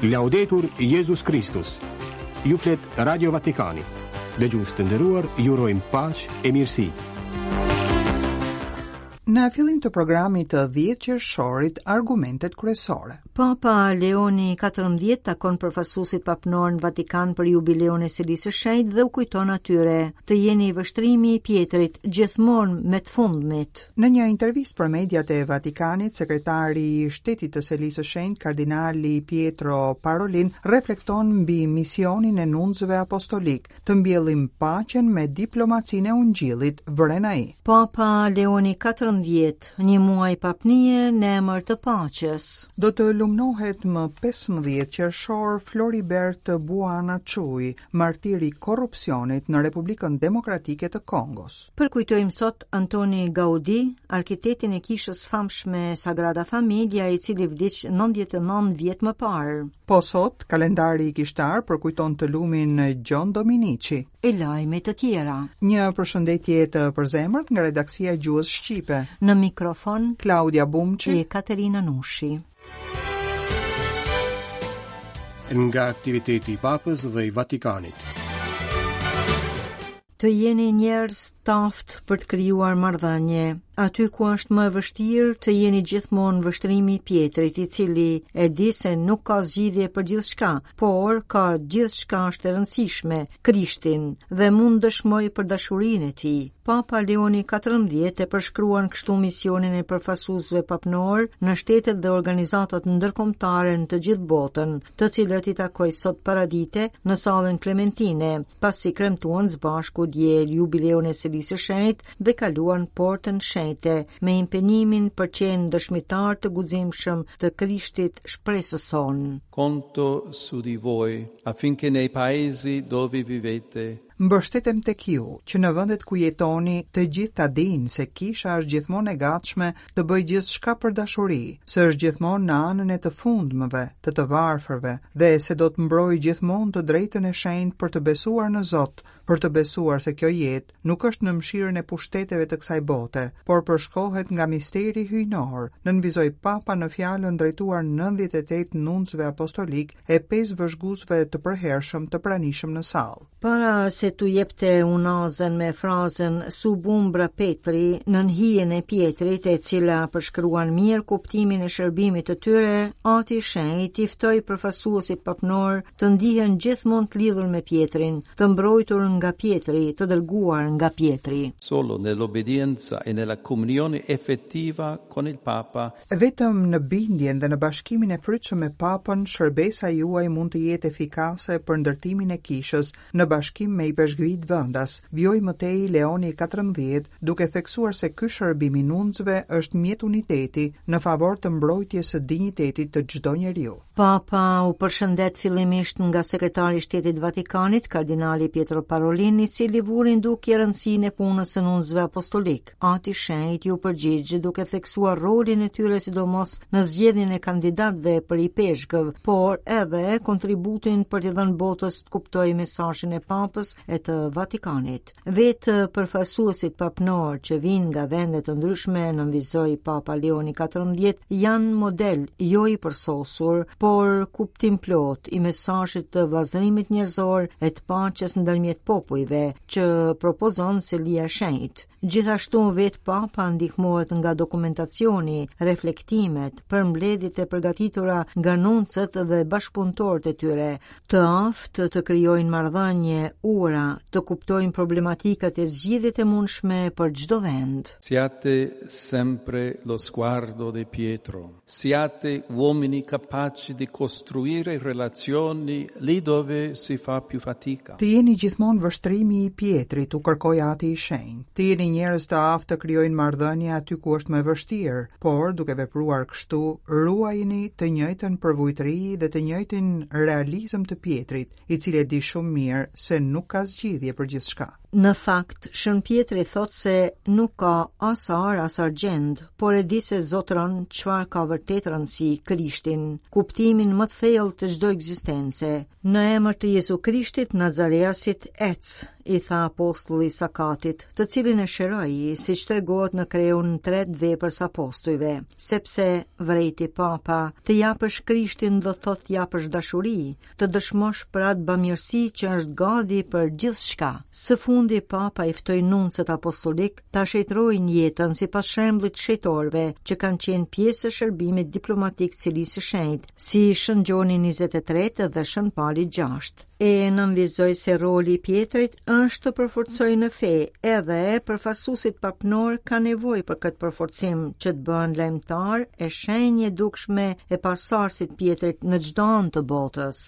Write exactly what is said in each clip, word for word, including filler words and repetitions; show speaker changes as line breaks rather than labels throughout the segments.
Laudetur Jezus Kristus. Ju flet Radio Vatikani. Dëgjues të nderuar, ju urojmë paqe e mirësi.
Në fillim të programit të dhjetë qershorit, argumentet kryesore.
Papa Leoni katërmbëdhjetë takon përfaqësuesit papnor në Vatikan për jubileun e Selisë së Shenjtë dhe u kujton atyre të jeni vështrimi i Pjetrit gjithmonë me të fundmit.
Në një intervistë për mediat e Vatikanit, sekretari i shtetit të Selisë së Shenjtë, kardinali Pietro Parolin, reflekton mbi misionin e nuncëve apostolik, të mbjellim paqen me diplomacinë e Ungjillit, vëren ai.
Papa Leoni katërmbëdhjetë, një muaj papnie në emër të paqes.
Do të lumnohet më pesëmbëdhjetë qershor Floribert Buana Chui, martir i korrupsionit në Republikën Demokratike të Kongos.
Përkujtojmë sot Antoni Gaudi, arkitektin e kishës famshme Sagrada Familia, i cili vdiq nëntëdhjetë e nëntë vjet më parë.
Po sot, kalendari kishtar përkujton të lumin Gjon Dominici.
E lajme të tjera.
Një përshëndetje të përzemërt nga redaksia e Gjuhës Shqipe.
Në mikrofon
Klaudia Bumçi
e Katerina Nushi.
Nga aktiviteti i Papës dhe i Vatikanit.
Të jeni njerëz taftë për të krijuar marrëdhënie, aty ku është më e vështirë të jeni gjithmonë vështrimi i Pjetrit, i cili e di se nuk ka zgjidhje për gjithçka, por ka gjithçka është e rëndësishme, Krishtin, dhe mund dëshmoj për dashurinë e tij. Papa Leoni katërmbëdhjetë e përshkruan kështu misionin e përfaqësuesve papnor në shtetet dhe organizatat ndërkombëtare në të gjithë botën, të cilët i takoi sot paradite në sallën Klementine, pasi kremtuan së bashku dje jubileun e Selisë së Shenjtë dhe kaluan portën shenjte me impenjimin për qenë dëshmitar të guximshëm të Krishtit shpresës sonë.
Conto su di voi affinché nei paesi dove vivete
Mbështetem tek ju, që në vendet ku jetoni të gjithë ta dinë se kisha është gjithmonë e gatshme të bëjë gjithçka për dashuri, se është gjithmonë në anën e të fundmëve, të të varfërve, dhe se do të mbrojë gjithmonë të drejtën e shenjtë për të besuar në Zot, për të besuar se kjo jetë nuk është në mëshirën e pushteteve të kësaj bote, por përshkohet nga misteri hyjnor, nënvizoi Papa në fjalën drejtuar nëntëdhjetë e tetë nuncëve apostolik e pesë vëzhguesve të përhershëm të pranishëm në sallë.
Para se t'u jepte unazën me frazën Sub umbra Petri, nën hijen e Pjetrit, e cila përshkruan mirë kuptimin e shërbimit të tyre, Ati i Shenjtë i ftoi përfaqësuesit papnor të ndihen gjithmonë të lidhur me Pjetrin, të mbrojtur nga Pjetri, të dërguar nga Pjetri.
Solo nell'obbedienza e nella comunione effettiva con il Papa.
Vetëm në bindjen dhe në bashkimin e frytshëm me Papën, shërbesa juaj mund të jetë efikase për ndërtimin e kishës në bashkim me ipeshkvit vendas, vijoi më tej Leoni katërmbëdhjetë, duke theksuar se ky shërbim i nuncëve është mjet uniteti në favor të mbrojtjes së dinjitetit të çdo njeriu.
Papa u përshëndet fillimisht nga sekretari i Shtetit Vatikanit, kardinali Pietro Parolin, i cili vuri në dukje rëndësinë e punës së nuncëve apostolik. Ati Shenjt iu përgjigj duke theksuar rolin e tyre sidomos në zgjedhjen e kandidatëve për ipeshkëv, por edhe kontributin për t'i dhënë botës të kuptojë mesazhin e Papës e të Vatikanit. Vetë përfaqësuesit papnor që vijnë nga vende të ndryshme, nënvizoi Papa Leoni katërmbëdhjetë, janë model jo i përsosur, por kuptimplot i mesazhit të vëllazërimit njerëzor e të paqes ndërmjet popujve që propozon Selia e Shenjtë. Gjithashtu vetë Papa ndihmohet nga dokumentacioni, reflektimet, përmbledhjet e përgatitura nga nuncët dhe bashkëpunëtorët e tyre, të aftë të krijojnë marrëdhënie, ura, të kuptojnë problematikat e zgjidhjet e mundshme për çdo vend.
Siate sempre lo sguardo di Pietro. Siate uomini capaci di costruire relazioni lì dove si fa più fatica.
Të jeni gjithmonë vështrimi i Pjetrit, u kërkoi Ati i Shenjtë. Të jeni njerëz të aftë të krijojnë marrëdhënie aty ku është më e vështirë, por duke vepruar kështu, ruajini të njëjtën përvujtëri dhe të njëjtin realizëm të Pjetrit, i cili e di shumë mirë se nuk ka zgjidhje për gjithçka.
Në fakt, Shën Pjetri thotë se nuk ka as ar as argjend, por e di se zotëron çfarë ka vërtet rëndësi, Krishtin, kuptimin më të thellë të çdo ekzistence. Në emër të Jezu Krishtit Nazareasit ec, i tha apostulli Sakatit, të cilin e shëroi, siç tregohet në kreun tre të veprës apostujve, sepse vrejti Papa, të japësh Krishtin do të thotë të japësh dashuri, të dëshmosh për atë bamirësi që është gati për gjithçka. Së fundi Papa i ftoi nuncët apostolik ta shenjtërojnë jetën sipas shembullit shenjtorëve që kanë qenë pjesë e shërbimit diplomatik të Selisë së Shenjtë, si Shën Gjoni njëzet e tretë dhe Shën Pali gjashtë. E nënvizoi se roli i Pjetrit është të përforcojë në fe, edhe përfaqësuesit papnor kanë nevojë për këtë përforcim që të bëhen lajmëtar e shenjë e dukshme e pasarësit Pjetrit në çdo anë të botës.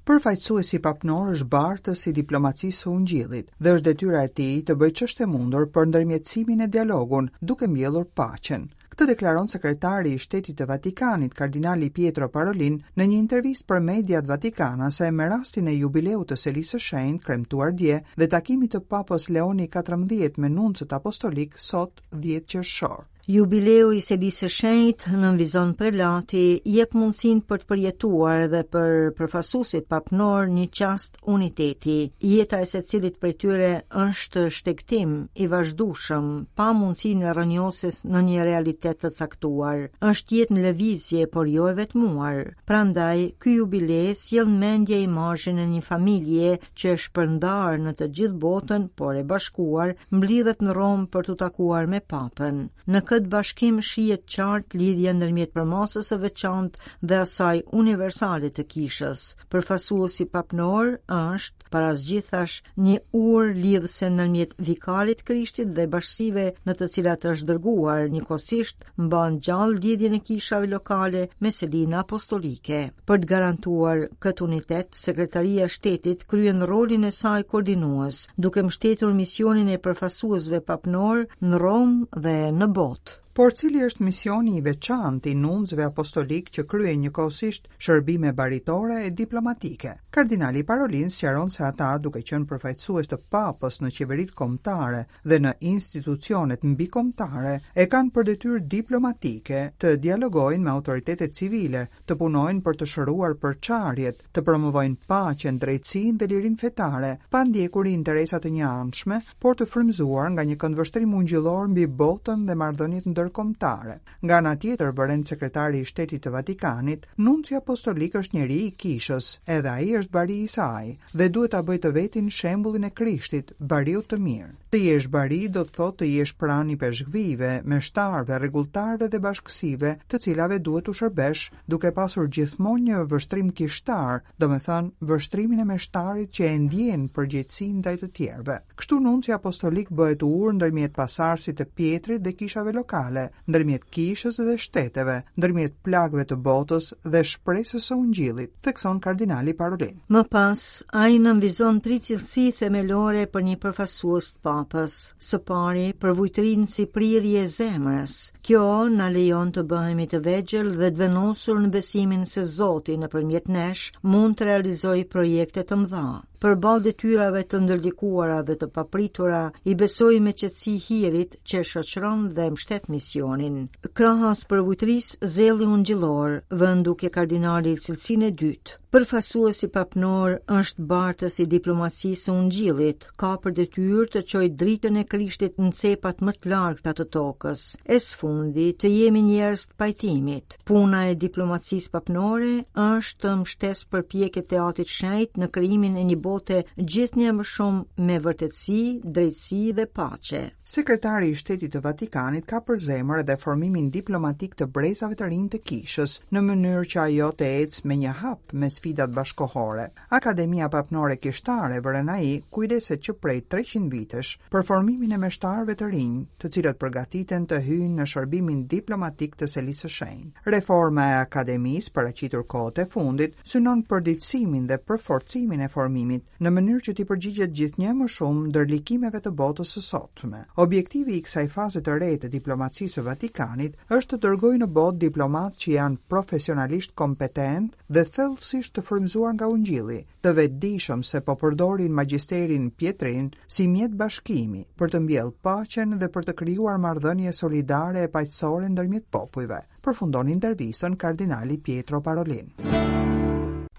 Përfaqësuesi papnor është bartës i diplomacisë së Ungjillit dhe është detyra e tij të bëjë ç'është e mundur për ndërmjetësimin e dialogun, duke mbjellur paqen. Këtë deklaron sekretari i Shtetit të Vatikanit, kardinali Pietro Parolin, në një intervistë për mediat vatikanase me rastin e jubileut të Selisë së Shenjtë, kremtuar dje, dhe takimit të Papës Leoni katërmbëdhjetë me nuncët apostolik sot dhjetë qershor.
Jubileu i Selisë së Shenjtë, nënvizon prelati, jep mundësinë për të përjetuar edhe për përfaqësuesit papnor një çast uniteti. Jeta e secilit prej tyre është shtegtim i vazhdueshëm, pa mundësinë e rrënjosjes në një realitet të caktuar. Është jetë në lëvizje, por jo e vetmuar. Prandaj, ky jubile sjell në mendje imazhin e një familje që është shpërndarë në të gjithë botën, por e bashkuar, mblidhet në Romë për t'u takuar me Papën. Në këtë bashkim shihet qartë lidhja ndërmjet përmasës së veçantë dhe asaj universale të kishës. Përfaqësuesi papnor është, para së gjithash, një urë lidhëse ndërmjet vikarit Krishtit dhe bashkësive në të cilat është dërguar, njëkohësisht mban gjallë lidhjen e kishave lokale me selinë apostolike. Për të garantuar këtë unitet, Sekretaria e Shtetit kryen rolin e saj koordinues, duke mbështetur misionin e përfaqësuesve papnor në Romë dhe në botë.
Por cili është misioni i veçantë i nuncëve apostolik që kryejnë njëkohësisht shërbime baritore e diplomatike? Kardinali Parolin sqaron se ata, duke qenë përfaqësues të Papës në qeveritë kombëtare dhe në institucionet mbikombëtare, e kanë për detyrë diplomatike të dialogojnë me autoritetet civile, të punojnë për të shëruar përçarjet, të promovojnë paqen, drejtësinë dhe lirinë fetare, pa ndjekur interesa të njëanshme, por të frymëzuar nga një këndvështrim ungjillor mbi botën dhe marrëdhëniet ndërkombëtare. Nga ana tjetër, vëren sekretari i Shtetit të Vatikanit, nunci apostolik është njeri i kishës, edhe ai është bari i saj dhe duhet ta bëjë të vetin shembullin e Krishtit, bariut të mirë. Të jesh bari do të thotë të jesh pranë ipeshkvijve, meshtarëve, rregulltarëve dhe bashkësive, të cilave duhet t'u shërbesh, duke pasur gjithmonë një vështrim kishtar, domethënë vështrimin e meshtarit që e ndjen përgjegjësinë ndaj të tjerëve. Kështu nunci apostolik bëhet urë ndërmjet pasarësit të Pjetrit dhe kishave lokale, ndërmjet kishës dhe shteteve, ndërmjet plagëve të botës dhe shpresës së Ungjillit, thekson kardinali Parolin.
Më pas, ai nënvizon tri cilësi themelore për një përfaqësues të Papës. Së pari, përvujtërinë si prirje e zemrës. Kjo na lejon të bëhemi të vegjël dhe të vendosur në besimin se Zoti nëpërmjet nesh mund të realizojë projekte të mëdha. Përballë detyrave të ndërlikuara dhe të papritura, i besoj me qetësi hirit që shoqëron dhe mbështet misionin. Krahas përvujtërisë, zelli ungjillor, vën duke kardinali cilësinë e dytë. Përfaqësuesi papnor është bartës i diplomacisë së Ungjillit, ka për detyrë të çojë dritën e Krishtit në cepat më të largëta të tokës. E së fundi, të jemi njerëz të pajtimit. Puna e diplomacisë papnore është të mbështesë përpjekjet e Atit Shenjt në krijimin e një bote gjithnjë më shumë me vërtetësi, drejtësi dhe paqe.
Sekretari i Shtetit të Vatikanit ka për zemër edhe formimin diplomatik të brezave të rinj të kishës, në mënyrë që ajo të ecë me një hap me sfidat bashkohore. Akademia Papnore Kishtare, vëren ai, kujdeset që prej treqind vitesh për formimin e meshtarëve të rinj, të cilët përgatiten të hyjnë në shërbimin diplomatik të Selisë së Shenjtë. Reforma e akademisë, paraqitur kohët e fundit, synon përditësimin dhe përforcimin e formimit, bashkimit, në mënyrë që t'i përgjigjet gjithnjë më shumë ndërlikimeve të botës së sotme. Objektivi i kësaj faze të re të diplomacisë së Vatikanit është të dërgojë në botë diplomatë që janë profesionalisht kompetent dhe thellësisht të frymëzuar nga Ungjilli, të vetëdijshëm se po përdorin magjisterin Pietrin si mjet bashkimi për të mbjellë paqen dhe për të krijuar marrëdhënie solidare e paqësore ndërmjet popujve. Përfundon intervistën kardinali Pietro Parolin.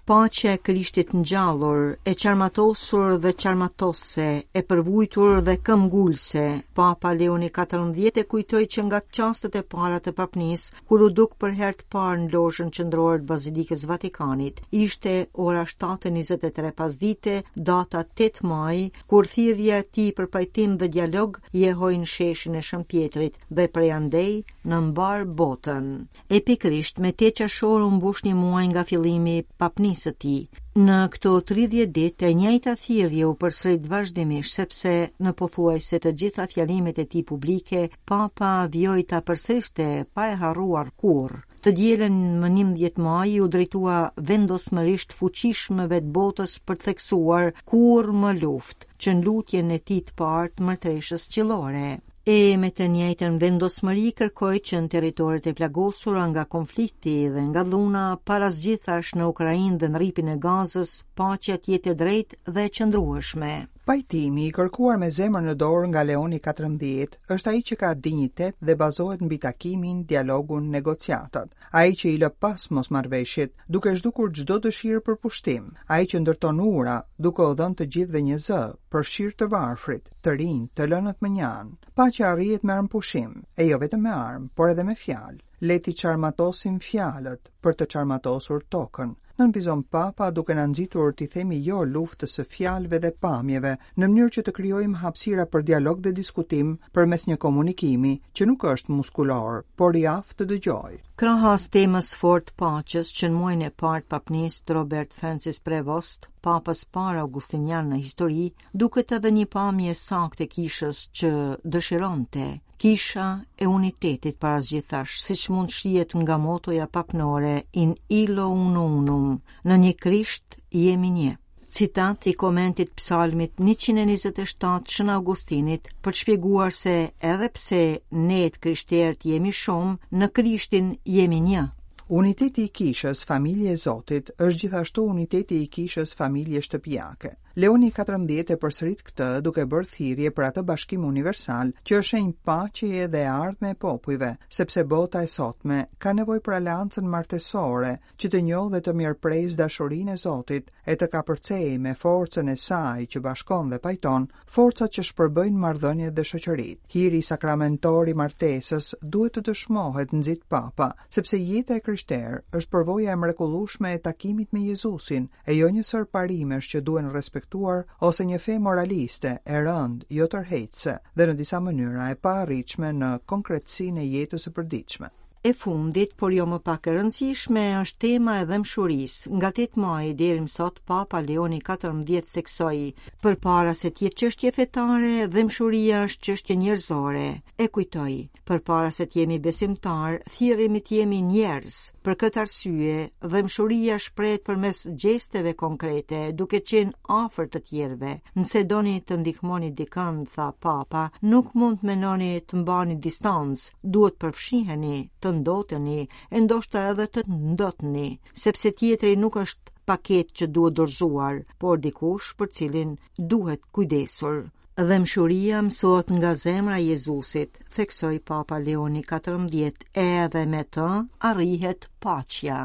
Paqja e Krishtit ngjallur, e çarmatosur dhe çarmatose, e përvujtur dhe këmbgulse, Papa Leoni katërmbëdhjetë e kujtoi që nga çastet e para të papnisë, kur u duk për herë të parë në lozhën qendrore të Bazilikës Vatikanit. Ishte ora shtatë e njëzet e tre pasdite, data tetë maj, kur thirrja e tij për pajtim dhe dialog jehoi në sheshin e Shën Pietrit dhe prej andej në mbar botën. E pikërisht me tetë qershor u mbush një muaj nga fillimi i papnisë së tij. Në këto tridhjetë ditë e njëjta thirrje u përsërit vazhdimisht, sepse në pothuajse të gjitha fjalimet e tij publike, Papa vijoi ta përsëriste pa e harruar kurrë. Të dielën më njëmbëdhjetë maj u drejtua vendosmërisht fuqishmëve të botës për të theksuar kurrë më luftë, që në lutjen e tij të parë të mërtreshës qillore. E me të njëjtën vendosmëri kërkoi që në territoret e plagosura nga konflikti dhe nga dhuna, para së gjithash në Ukrainë dhe në rripin e Gazës, paqja të jetë e drejtë dhe e qëndrueshme.
Pajtimi i kërkuar me zemër në dorë nga Leoni katërmbëdhjetë është ai që ka dinjitet dhe bazohet mbi takimin, dialogun, negociatat. Ai që i lë pas mosmarrëveshjet, duke zhdukur çdo dëshirë për pushtim. Ai që ndërton ura, duke u dhënë të gjithëve një zë, përfshirë të varfrit, të rinj, të lënët më njanë. Paqja arrihet me armëpushim, e jo vetëm me armë, por edhe me fjalë. Le t'i çarmatosim fjalët për të çarmatosur tokën. Nënvizon Papa duke na nxitur t'i themi jo luftës së fjalëve dhe pamjeve, në mënyrë që të krijojmë hapësira për dialog dhe diskutim përmes një komunikimi që nuk është muskulor, por i aftë të dëgjojë.
Krahas temës fort paqes, që në muajin e parë të papnisë të Robert Francis Prevost, papës parë augustinian në histori, duket edhe një pamje saktë e kishës që dëshironte. Kisha e unitetit para gjithash, siç mund shihet nga motoja papnore in illo uno unum, në një Krisht jemi një. Citat i komentit psalmit njëqind e njëzet e shtatë Shën Augustinit për të shpjeguar se edhe pse ne të krishterët jemi shumë, në Krishtin jemi një.
Uniteti i kishës familje e Zotit është gjithashtu uniteti i kishës familje shtëpiake. Leoni katërmbëdhjetë e përsërit këtë duke bërë thirrje për atë bashkim universal që është shenjë paqeje dhe e ardhme e popujve, sepse bota e sotme ka nevojë për aleancën martesore që të njohë dhe të mirëpresë dashurinë e Zotit e të kapërcejë me forcën e saj që bashkon dhe pajton forcat që shpërbëjnë marrëdhëniet dhe shoqëritë. Hiri sakramentor i martesës duhet të dëshmohet, nxit Papa, sepse jeta e krishterë është përvoja e mrekullueshme e takimit me Jezusin, e jo një sër parimesh që duhen respektuar ose një fe moraliste e rëndë, jo tërheqëse dhe në disa mënyra e paarritshme në konkretësinë e jetës së përditshme.
E fundit, por jo më pak e rëndësishme, është tema e dhembshurisë. Nga tetë maji deri më sot, Papa Leoni katërmbëdhjetë theksoi, përpara se të jetë çështje fetare, dhembshuria është çështje njerëzore. E kujtoi, përpara se të jemi besimtar, thirremi të jemi njerëz. Për këtë arsye, dhembshuria shprehet përmes gjesteve konkrete, duke qenë afër të tjerëve. Nëse doni të ndihmoni dikën, tha Papa, nuk mund të menoni të mbani distancë, duhet përfshiheni, të ndoteni, e ndoshta edhe të ndotni, sepse tjetri nuk është paket që duhet dorëzuar, por dikush për cilin duhet kujdesur. Dhembshuria mësohet nga zemra e Jezusit, theksoi Papa Leoni katërmbëdhjetë, edhe me të arrihet paqja.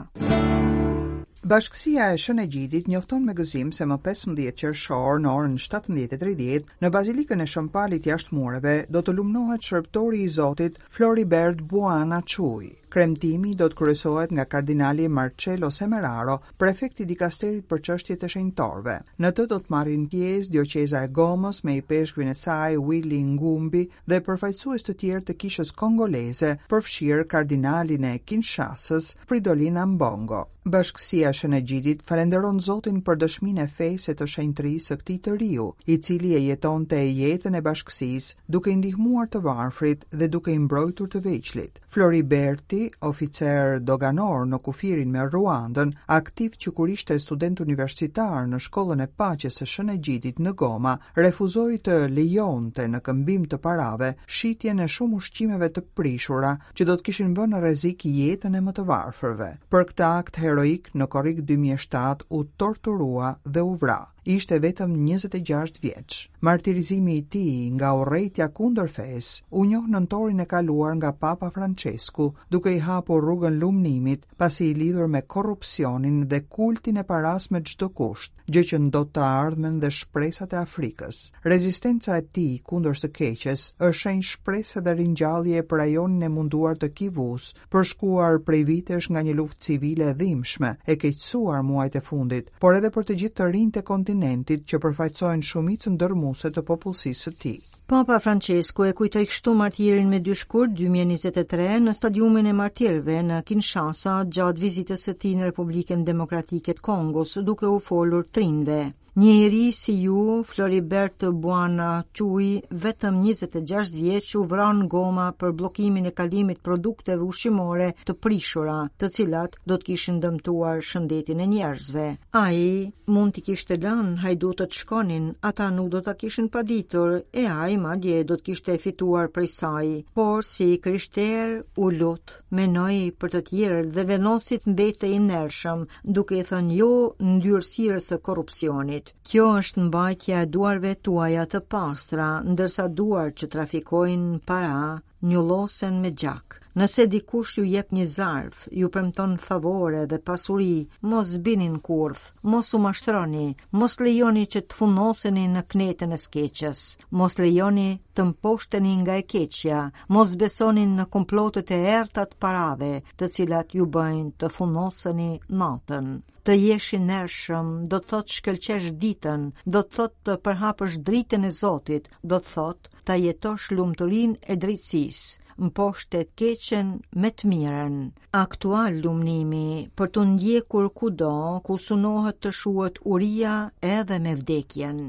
Bashkësia e Shën Egjidit njofton me gëzim se më pesëmbëdhjetë qershor në orën shtatëmbëdhjetë e tridhjetë në Bazilikën e Shën Palit jashtë mureve do të lumnohet shërbëtori i Zotit Floribert Buana Çuj. Kremtimi do të kryesohet nga kardinali Marcello Semeraro, prefekti i dikasterit për çështjet e shenjtorëve. Në të do të marrin pjesë dioqeza e Gomës me ipeshkvin e saj Willy Ngumbi dhe përfaqësues të tjerë të kishës kongoleze, përfshirë kardinalin e Kinshasës, Fridolin Ambongo. Bashkësia e Shën Egjidit falenderon Zotin për dëshminë e fesë e të shenjtërisë së këtij të riu, i cili e jetonte jetën e bashkësisë, duke i ndihmuar të varfrit dhe duke i mbrojtur të vegjlit. Floriberti Chui, oficer doganor në kufirin me Ruandën, aktiv që kur ishte student universitar në shkollën e paqes së Shën Egjidit në Goma, refuzoi të lejonte në këmbim të parave shitjen e shumë ushqimeve të prishura që do të kishin vënë në rrezik jetën e më të varfërve. Për këtë akt heroik në korrik dy mijë e shtatë u torturua dhe u vra. Ishte vetëm njëzet e gjashtë vjeç. Martirizimi i tij nga urrejtja kundër fesë u njoh nëntorin e kaluar nga Papa Francesku, duke i hapur rrugën lumnimit, pasi i lidhur me korrupsionin dhe kultin e paras me çdo kusht, gjë që ndot të ardhmen dhe shpresat e Afrikës. Rezistenca e tij kundër së keqes është shenjë shprese dhe ringjallje për rajonin e munduar të Kivus, përshkuar prej vitesh nga një luftë civile e dhimbshme, e keqësuar muajt e fundit, por edhe për të gjithë të rinjtë e kontinentit që përfaqësojnë shumicën dërrmuese të popullsisë së tij.
Papa Francesku e kujtoi kështu martirin me dy shkurt dy mijë e njëzet e tre në stadiumin e martirëve në Kinshasa gjatë vizitës së tij në Republikën Demokratike të Kongos, duke u folur trinve. Një i ri si ju, Floribert Bwana Chui, vetëm njëzet e gjashtë vjeç, u vra në Goma për bllokimin e kalimit produkteve ushqimore të prishura, të cilat do të kishin dëmtuar shëndetin e njerëzve. Ai mund t'i kishte lënë hajdutët shkonin, ata nuk do ta kishin paditur, e ai madje do të kishte fituar prej saj, por si krishter u lut, menoi për të tjerët dhe vendosi të mbetej i ndershëm, duke i thënë jo ndyrësirës së korrupsionit. Kjo është mbajtja e duarve tuaja të pastra, ndërsa duart që trafikojnë para njullosen me gjak. Nëse dikush ju jep një zarf, ju premton favore dhe pasuri, mos bini në kurth, mos u mashtroni, mos lejoni që të funnoseni në knetën e skeqës, mos lejoni të mposhteni nga e keqja, mos besoni në komplotet e errta të parave, të cilat ju bëjnë të funnoseni natën. Të jesh i ndershëm do të thotë shkëlqesh ditën, do të thotë të përhapësh dritën e Zotit, do të thotë ta jetosh lumturinë e drejtësisë, mposhte të keqen me të mirën. Aktual lumnimi për të ndjekur kudo ku sunohet të shuhet uria edhe me vdekjen.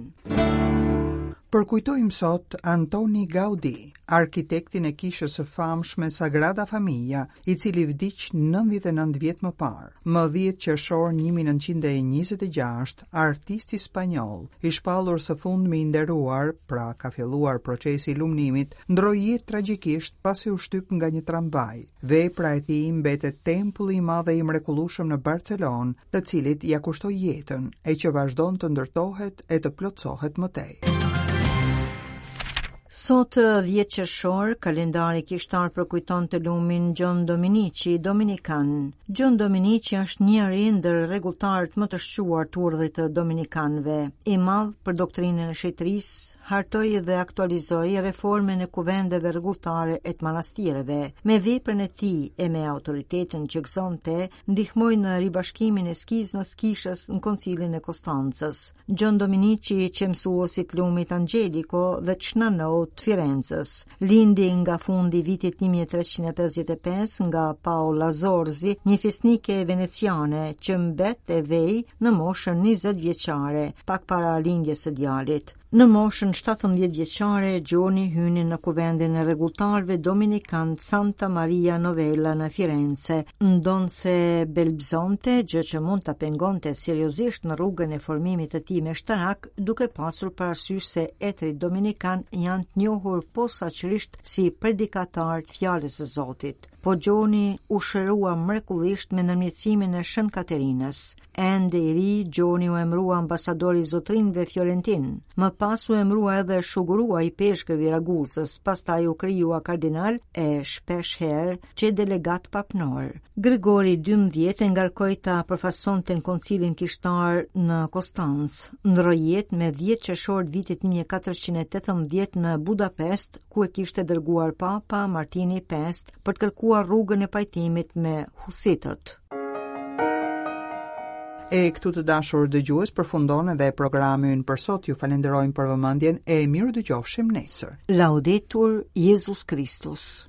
Përkujtojmë sot Antoni Gaudi, arkitektin e kishës së famshme Sagrada Familia, i cili vdiq nëntëdhjetë e nëntë vjet më parë. Më dhjetë qershor një mijë e nëntëqind e njëzet e gjashtë, artisti spanjoll, i shpallur së fundmi i nderuar, pra ka filluar procesi i lumnimit, ndroi jetë tragjikisht pasi u shtyp nga një tramvaj. Vepra e tij mbetet tempulli i madh e i mrekullueshëm në Barcelonë, të cilit ia kushtoi jetën, e që vazhdon të ndërtohet e të plotësohet më tej.
Sot dhjetë qershor, kalendari kishtar përkujton të lumin Gjon Dominici, Dominikan. Gjon Dominici është njëri ndër rregulltarët më të shquar të urdhrit të Dominikanëve. I madh për doktrinën e shetërisë, hartoi dhe aktualizoi reformën e kuvendeve rregulltare e të manastireve. Me veprën e tij e me autoritetin që gëzonte, ndihmoi në ribashkimin e skizmës kishës në Koncilin e Konstancës. Gjon Dominici qe mësues i të lumit Angelico dhe të Shnanot të Firencës. Lindi nga fundi i vitit një mijë e treqind e pesëdhjetë e pesë nga Paola Zorzi, një fisnike veneciane që mbet e vej në moshën njëzet vjeçare, pak para lindjes së djalit. Në moshën shtatëmbëdhjetë vjeçare, Gjoni hyni në kuvendin e rregulltarëve Dominikan Santa Maria Novella në Firenze, ndonse belbzonte, gjë që mund ta pengonte seriozisht në rrugën e formimit të tij meshtarak, duke pasur parasysh se etrit dominikan janë të njohur posaçërisht si predikatarë të fjalës së Zotit. Po Gjoni u shërua mrekullisht me ndërmjetësimin e Shën Katerinës. Ende i ri, Gjoni u emërua ambasador i zotrinjve Fiorentin. Më pas u emërua edhe shugurua i peshkëv i Ragusës, pastaj u krijua kardinal e shpesh herë që delegat papnor. Gregori dymbëdhjetë e ngarkoi ta përfaqësonte në koncilin kishtar në Konstancë. Ndroi jetë me dhjetë qershor të vitit një mijë e katërqind e tetëmbëdhjetë në Budapest, ku e kishte dërguar Papa Martini i pestë për të kërkuar rrugën e pajtimit me husitët.
E këtu të dashur dëgjues përfundon edhe programi ynë për sot. Ju falenderojmë për vëmendjen e miru dëgjofshim nesër.
Laudetur Jezus Kristus.